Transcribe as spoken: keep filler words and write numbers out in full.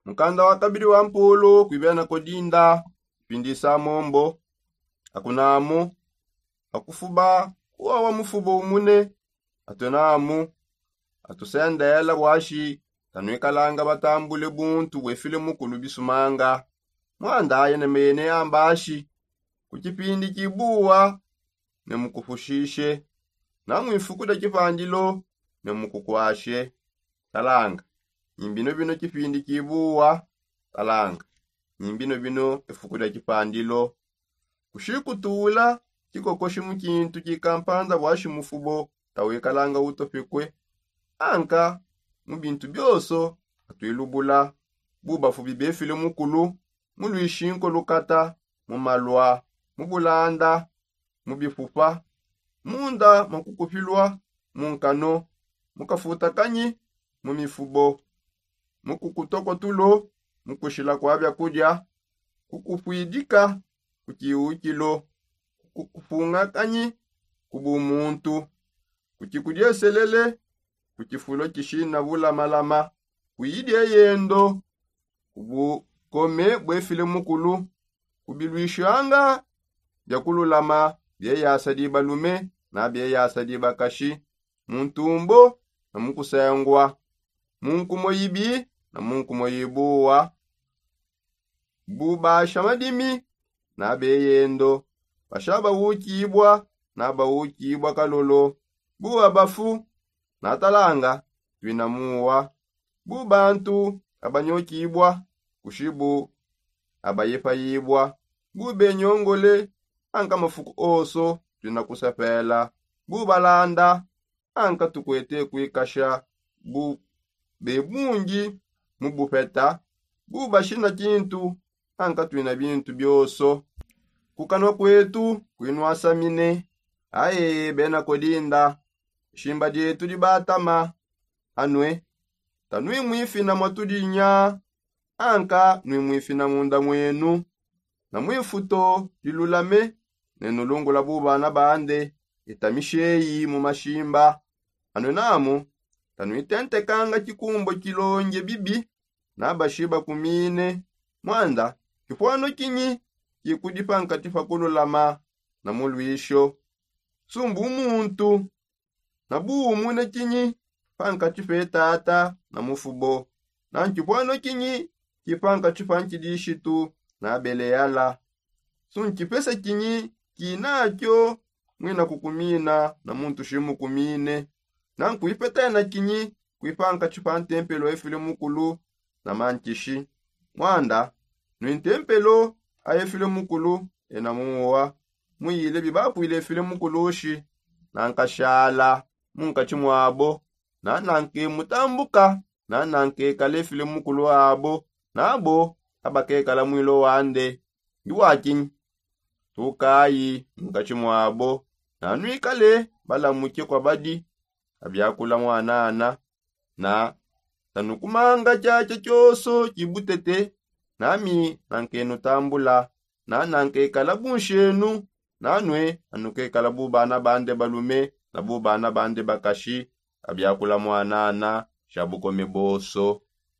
Mukanda wa kabidi wa mpolo kuibia na kodinda, pindisa mombo. Akunamu akufuba kuwa wa mufubo umune. Atuenamu atusendela bwashi tanuikalanga batambule buntu bwefile mukulu bisumanga. Mwanda aye ne meyene ambashi ku kipindi kibuwa ne mukufushishe, na mwifuku dia kipandilo ne mukukwashe. Talanga, nyimbino bino kipindi kibuwa. Talanga, nyimbino bino efuku dia kipandilo. Kushikutula kikokoshi mu kintu kikampanza bwashi mufubo tawikalanga utopekwe. Anka mu bintu bioso atuilubula. Bubafubi befile mukulu, mu lwishinko lukata, mu malwa, mu bulanda, mu bifupa, munda mwa kukupilwa mu nkano, mu kafuta kanyi, mu mifubo, mu kukutoko tulo, mu kushila kwa biakudia, ku kupwidika, ku kiukilo, ku kufunga kanyi, ku bumuntu, ku kikudieselele, ku kifulo kishina bulamalama, ku idia yendo, ku bukome bwefile mukulu, ku bilwishanga bia kululama bieyasa dibalume na bieyasa dibakashi, mu ntumbo na mu kusengwa, mu nkumo ibi na mu nkumo ibuwa. Bu basha madimi na beyendo, basha bawukibwa na bawukibwa kalolo, bu babafu na talanga twina muwa, bu bantu abanyokibwa kushibu abayepayibwa, bu benyongole anka mafuku oso twina kusepela, bu balanda anka tukwete kuikasha, bu bebungi mu bupeta, bu bashina kintu anka twina bintu bioso. Ku kanwa kwetu kwinwasamine, aye bena kodinda, shimba dietu dibatama. Anue, tanui mwifina mwa tudinya, anka nui mwifina munda mwenu, na mwifuto dilulame, ne nulungula bu bana bande, itamisheyi mu mashimba. Anue namu, tanuitentekanga kikumbo kilonge bibi, na bashiba kumine. Mwanda, kipwano kinyi kikudi pankati pa kululama na mulwisho? Sumbu muntu na buumune kinyi pankati pe tata na mufubo? Na nkipwano kinyi ki pankati pa nkidishitu na beleala? Su nkipese kinyi kinakio mwina kukumina na muntu shimukumine? Na nkuipetena kinyi kwi pankati pa ntempelo efile mukulu na mantishi? Mwanda, nui ntempelo a efile mukulu ena muwa, muyile bibapwile efile mukulushi. Na nkashala munkatshi mwabo, na nanke mutambuka, na nankekala efile mukulu abo, nabo abakekala mwilo wande. Ndi wakinyi? Tukayi munkatshi mwabo, na nuikale balamuke kwa badi abiakula mwanana. Na tanukumanga tshiatshia tshioso tshibutete, nami nankenutambula, na nankekala bunshenu, nanue anukekala bu bana bande balume na bu bana bande bakashi abiakula mwanana sha bukome boso.